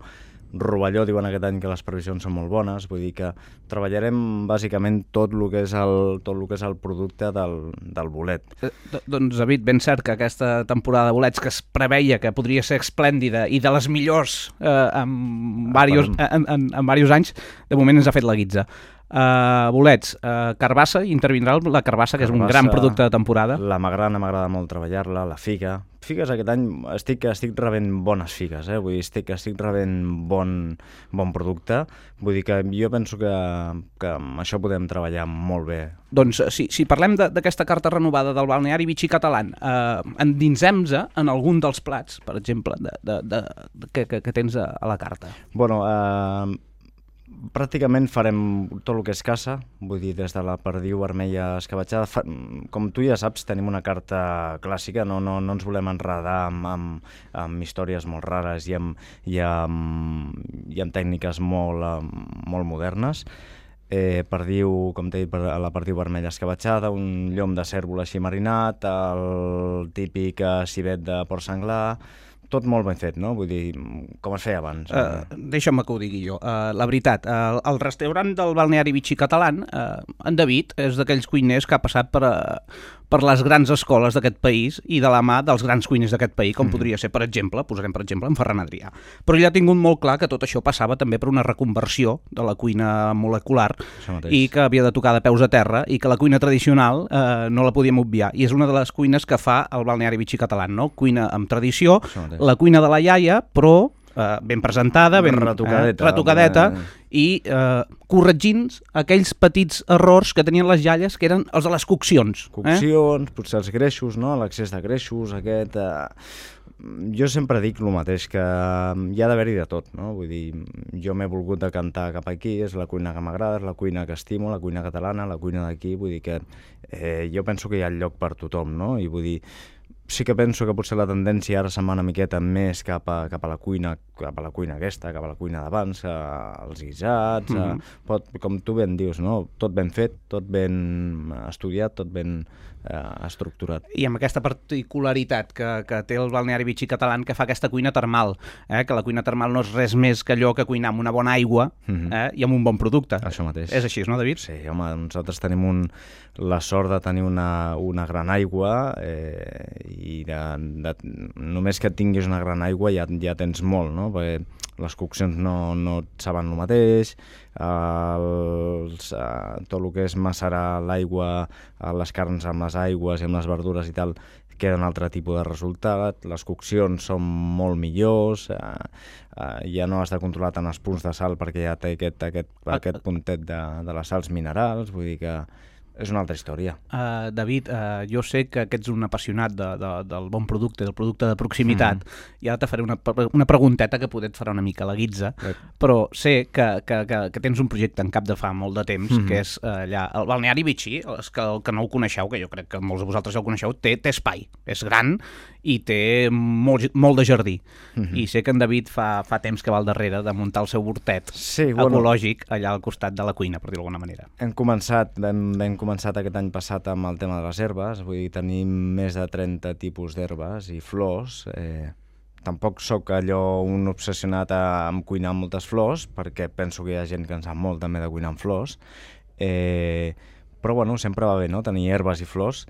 rovelló diuen aquest any que les previsions són molt bones, vull dir que treballarem bàsicament tot el que és el, tot el, que és el producte del, del bolet. Eh, doncs, David, ben cert que aquesta temporada de bolets que es preveia que podria ser esplèndida i de les millors eh, en, diversos, en, en, en diversos anys, de moment ens ha fet la guitza. Uh, bolets, uh, carbassa, intervindrà la carbassa, que és un gran producte de temporada. La magrana m'agrada molt treballar-la, la figa. Figues aquest any estic, estic rebent bones figues, eh? Vull dir, estic, estic rebent bon, bon producte. Vull dir que jo penso que, que amb això podem treballar molt bé. Doncs si, si parlem d'aquesta carta renovada del balneari Vichy Catalan, eh, endinsem-se en algun dels plats, per exemple, de, de, de, de, que, que, que tens a, a la carta. Bueno, eh... pràcticament farem tot el que és caça, vull dir, des de la perdiu vermella escabatxada. Fa, com tu ja saps, tenim una carta clàssica, no, no, no ens volem enredar amb, amb, amb històries molt rares i amb, i amb, i amb tècniques molt, molt modernes. Eh, perdiu, com t'he dit, la perdiu vermella escabatxada, un llom de cèrvol així marinat, el típic civet de porc senglar, tot molt ben fet, no? Vull dir, com es feia abans. Uh, Deixa'm que ho digui jo. Uh, la veritat, uh, el restaurant del balneari Vichy Catalan, uh, en David, és d'aquells cuiners que ha passat per, uh, per les grans escoles d'aquest país i de la mà dels grans cuiners d'aquest país, com mm. podria ser, per exemple, posarem per exemple, en Ferran Adrià. Però ell ha tingut molt clar que tot això passava també per una reconversió de la cuina molecular i que havia de tocar de peus a terra i que la cuina tradicional eh, no la podíem obviar. I és una de les cuines que fa el balneari Vichy Catalan, no? Cuina amb tradició, la cuina de la iaia, però eh, ben presentada, ben retocadeta, eh, retocadeta eh. i eh, corregint aquells petits errors que tenien les iaies, que eren els de les coccions. Coccions, eh? Potser els greixos, no? L'excés de greixos, aquest... Eh... Jo sempre dic el mateix, que hi ha d'haver-hi de tot, no? Vull dir, jo m'he volgut decantar cap aquí, és la cuina que m'agrada, és la cuina que estimo, la cuina catalana, la cuina d'aquí, vull dir que eh, jo penso que hi ha lloc per tothom, no? I vull dir, sí que penso que potser la tendència ara se'n va una miqueta més cap a, cap a la cuina, cap a la cuina aquesta, cap a la cuina d'abans, els guisats, mm-hmm. a, pot, com tu ben dius, no? Tot ben fet, tot ben estudiat, tot ben eh, estructurat. I amb aquesta particularitat que, que té el balneari Vichy Catalan, que fa aquesta cuina termal, eh? Que la cuina termal no és res més que allò que cuinar amb una bona aigua mm-hmm. eh? i amb un bon producte. Això mateix. És així, no, David? Sí, home, nosaltres tenim un, la sort de tenir una, una gran aigua eh, i de, de, només que tinguis una gran aigua ja, ja tens molt, no? Perquè les coccions no, no et saben el mateix, els, eh, tot el que és macerar l'aigua, les carns amb les aigües i amb les verdures i tal, queda un altre tipus de resultat, les coccions són molt millors, eh, eh, ja no has de controlar tant els punts de sal perquè ja té aquest, aquest, aquest puntet de, de les sals minerals, vull dir que és una altra història. Uh, David, uh, jo sé que, que ets un apassionat de, de, del bon producte, del producte de proximitat, mm. i ara te faré una, una pregunteta que poder et farà una mica la guitza, eh. però sé que, que, que, que tens un projecte en cap de fa molt de temps, mm. que és uh, allà, el balneari Vichy, els que, el que no ho coneixeu, que jo crec que molts de vosaltres ja ho coneixeu, té, té espai, és gran i té molt, molt de jardí. Mm-hmm. I sé que en David fa, fa temps que va al darrere de muntar el seu hortet sí, bueno, ecològic allà al costat de la cuina, per dir-ho d'alguna manera. Hem començat, vam, vam començat aquest any passat amb el tema de les herbes, vull dir, tenim més de trenta tipus d'herbes i flors. Eh, tampoc sóc allò un obsessionat a, a cuinar moltes flors, perquè penso que hi ha gent que en sap molt també de cuinar amb flors, eh, però bueno, sempre va bé, no?, tenir herbes i flors.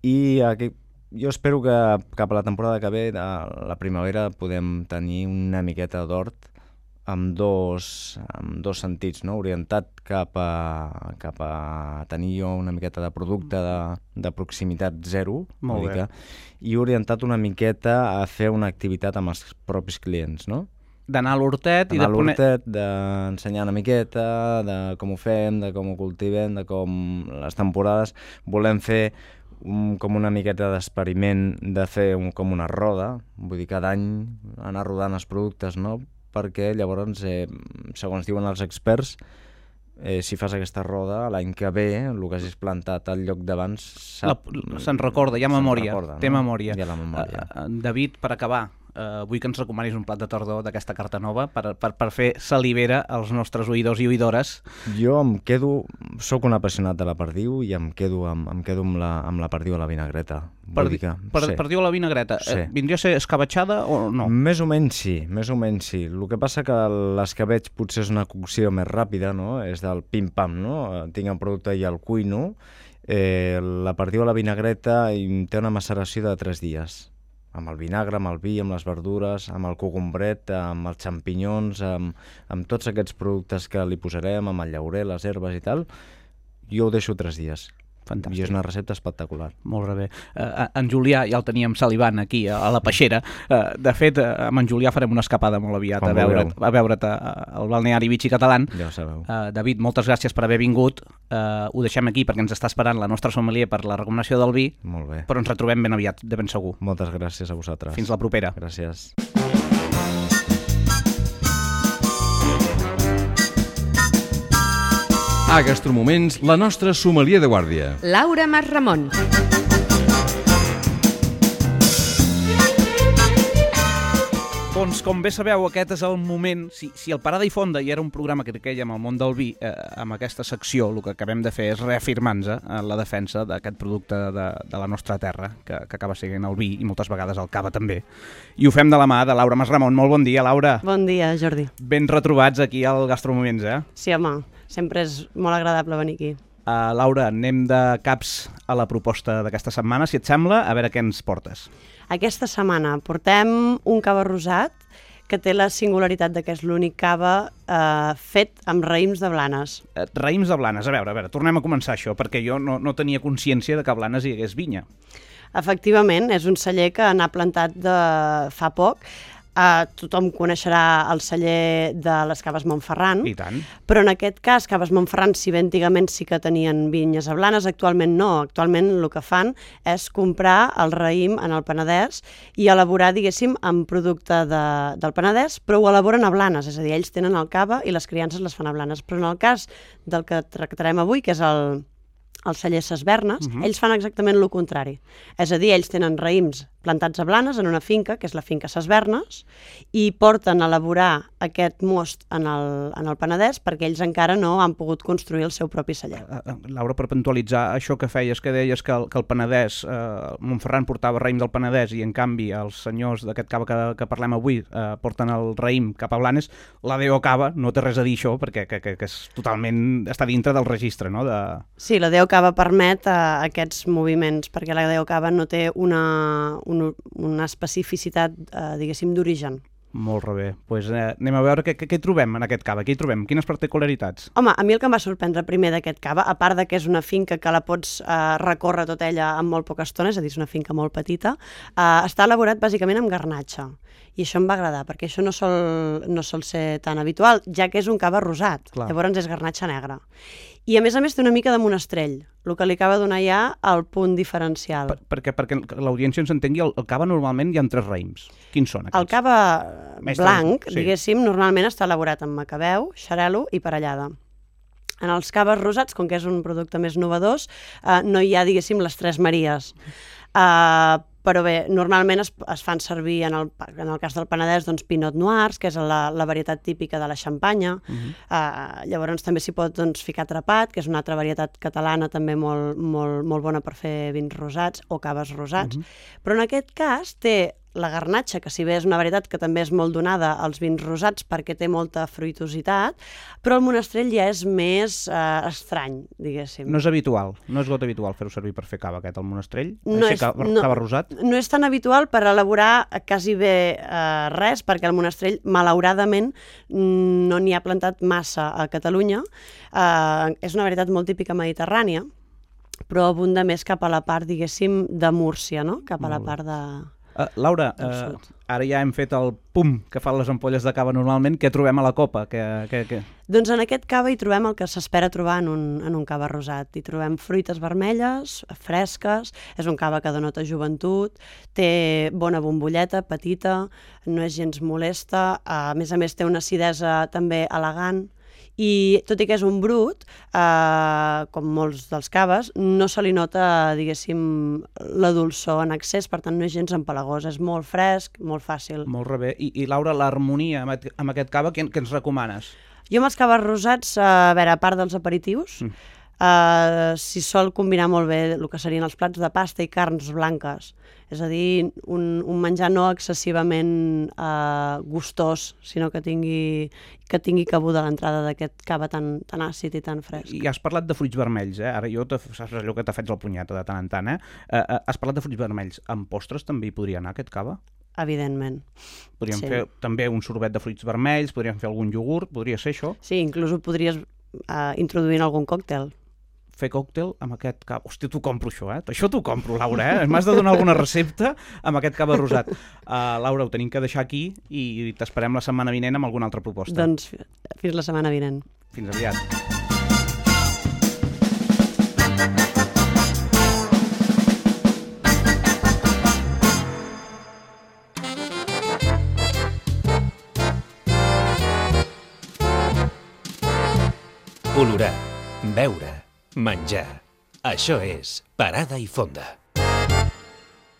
I aquí, jo espero que cap a la temporada que ve, a la primavera, podem tenir una miqueta d'hort amb dos, amb dos sentits, no?, orientat cap a, cap a tenir jo una miqueta de producte de, de proximitat zero, Molt bé. i orientat una miqueta a fer una activitat amb els propis clients, no? D'anar a l'hortet i de Anar a poner... l'hortet, d'ensenyar una miqueta, de com ho fem, de com ho cultivem, de com les temporades. Volem fer un, com una miqueta d'experiment de fer un, com una roda, vull dir, cada any anar rodant els productes, no?, perquè llavors, eh, segons diuen els experts, eh, si fas aquesta roda, l'any que ve, el que hagis plantat al lloc d'abans... Se'n recorda, hi ha memòria, recorda, té no? memòria. Hi ha la memòria. Uh, David, per acabar, uh, vull que ens recomanis un plat de tardor d'aquesta carta nova per, per, per fer salivera als nostres oïdors i oïdores. Jo em quedo... Soc un apassionat de la perdiu i em quedo amb, em quedo amb, la, amb la perdiu a la vinagreta. Per, que, per, sí. perdiu a la vinagreta. Sí. Eh, vindria a ser escabatxada o no? Més o menys sí, més o menys sí. El que passa que l'escabeig potser és una cocció més ràpida, no? És del pim-pam, no? Tinc el producte i el cuino. Eh, la perdiu a la vinagreta té una maceració de tres dies. Amb el vinagre, amb el vi, amb les verdures, amb el cogombret, amb els xampinyons, amb, amb tots aquests productes que li posarem, amb el llaurer, les herbes i tal, jo ho deixo tres dies. Fantàstic. I és una recepta espectacular. Molt bé. Uh, en Julià ja el teníem salivant aquí a, a la peixera. Uh, de fet, uh, amb en Julià farem una escapada molt aviat Com a veure't, vulgueu. a veure't al balneari Vichy Catalán. Ja ho sabeu. Uh, David, moltes gràcies per haver vingut. Uh, ho deixem aquí perquè ens està esperant la nostra sommelier per la recomanació del vi. Molt bé. Però ens retrobem ben aviat, de ben segur. Moltes gràcies a vosaltres. Fins la propera. Gràcies. A Gastromoments, la nostra sommelier de guàrdia. Laura Masramon. Doncs, com bé sabeu, aquest és el moment, si, si el Parada i Fonda ja era un programa que queia amb el món del vi, eh, amb aquesta secció el que acabem de fer és reafirmar-nos en la defensa d'aquest producte de, de la nostra terra, que, que acaba sent el vi i moltes vegades el cava també. I ho fem de la mà de Laura Masramon. Molt bon dia, Laura. Bon dia, Jordi. Ben retrobats aquí al Gastromoments, eh? Sí, home, sempre és molt agradable venir aquí. Uh, Laura, anem de caps a la proposta d'aquesta setmana, si et sembla, a veure què ens portes. Aquesta setmana portem un cava rosat que té la singularitat de que és l'únic cava eh, fet amb raïms de Blanes. Uh, raïms de Blanes, a veure, a veure, tornem a començar això, perquè jo no, no tenia consciència de que a Blanes hi hagués vinya. Efectivament, és un celler que n'ha plantat de fa poc. Uh, tothom coneixerà el celler de les Caves Montferran, I tant. Però en aquest cas, Caves Montferran, si bé antigament sí que tenien vinyes a Blanes, actualment no. Actualment el que fan és comprar el raïm en el Penedès i elaborar, diguéssim, amb producte de, del Penedès, però ho elaboren a Blanes, és a dir, ells tenen el cava i les criances les fan a Blanes. Però en el cas del que tractarem avui, que és el, el celler Ses Vernes, uh-huh. ells fan exactament el contrari. És a dir, ells tenen raïms plantats a Blanes en una finca, que és la finca Ses Vernes, i porten a elaborar aquest most en el, en el Penedès perquè ells encara no han pogut construir el seu propi celler. Laura, per puntualitzar això que feies, que deies que el, que el Penedès, eh, Montferran portava raïm del Penedès i en canvi els senyors d'aquest cava que, que parlem avui eh, porten el raïm cap a Blanes, la D O Cava no té res a dir això perquè que, que, que és totalment, està dintre del registre, no? De... Sí, la D O Cava permet eh, aquests moviments perquè la D O Cava no té una, una, una especificitat, eh, diguéssim, d'origen. Molt bé. Pues, eh, anem a veure què, què, què hi trobem en aquest cava. Què hi trobem? Quines particularitats? Home, a mi el que em va sorprendre primer d'aquest cava, a part de que és una finca que la pots eh, recórrer tota ella en molt poca estona, és a dir, és una finca molt petita, eh, està elaborat bàsicament amb garnatxa. I això em va agradar, perquè això no sol, no sol ser tan habitual, ja que és un cava rosat. Clar. Llavors és garnatxa negra. I a més a més té una mica de monestrell, el que li acaba donar ja el punt diferencial. Per, perquè perquè l'audiència ens entengui, el, el cava normalment hi ha tres raïms. Quins són aquests? El cava Mestre, blanc, sí. diguéssim, normalment està elaborat amb macabeu, xarel·lo i parellada. En els caves rosats, com que és un producte més novedós, eh, no hi ha, diguéssim, les tres maries. Eh, però bé, normalment es, es fan servir, en el, en el cas del Penedès, doncs, Pinot Noirs, que és la, la varietat típica de la Xampanya. Uh-huh. eh, llavors també s'hi pot doncs, ficar Trapat, que és una altra varietat catalana també molt, molt, molt bona per fer vins rosats o caves rosats. Uh-huh. Però en aquest cas té la garnatxa, que si bé és una varietat que també és molt donada als vins rosats perquè té molta fruitositat, però el monestrell ja és més eh, estrany, diguéssim. No és habitual, no és got habitual fer-ho servir per fer cava aquest, el monestrell? No és, cava, no, cava rosat? No és tan habitual per elaborar quasi bé eh, res, perquè el monestrell, malauradament, no n'hi ha plantat massa a Catalunya. Eh, és una varietat molt típica mediterrània, però abunda més cap a la part, diguéssim, de Múrcia, no? Cap a la part de... Uh, Laura, uh, ara ja hem fet el pum que fan les ampolles de cava normalment. Què trobem a la copa? Que, que, que... Doncs en aquest cava hi trobem el que s'espera trobar en un, en un cava rosat. Hi trobem fruites vermelles, fresques, és un cava que denota joventut, té bona bombolleta, petita, no és gens molesta, a més a més té una acidesa també elegant, i tot i que és un brut, eh, com molts dels caves, no se li nota, diguéssim, la dolçor en excés, per tant no és gens empalagós, és molt fresc, molt fàcil. Molt bé. I, i Laura, l'harmonia amb, amb aquest cava, què, què ens recomanes? Jo amb els caves rosats, a veure, a part dels aperitius, mm. eh, s'hi sol combinar molt bé el que serien els plats de pasta i carns blanques. És a dir, un, un menjar no excessivament eh, gustós, sinó que tingui, que tingui cabuda l'entrada d'aquest cava tan, tan àcid i tan fresc. I has parlat de fruits vermells, eh? Ara jo saps allò que t'ha fet el punyeta de tant en tant, eh? eh, eh has parlat de fruits vermells. Amb postres també hi podria anar aquest cava? Evidentment. Podríem sí. fer també un sorbet de fruits vermells, podríem fer algun iogurt, podria ser això? Sí, inclús ho podries eh, introduir en algun còctel. Fer còctel amb aquest cava. Hòstia, t'ho compro això, eh? Això t'ho compro, Laura, eh? M'has de donar alguna recepta amb aquest cava rosat. Uh, Laura, ho tenim que deixar aquí i t'esperem la setmana vinent amb alguna altra proposta. Doncs fins la setmana vinent. Fins aviat. Olorar, veure, menjar. Això és Parada i Fonda.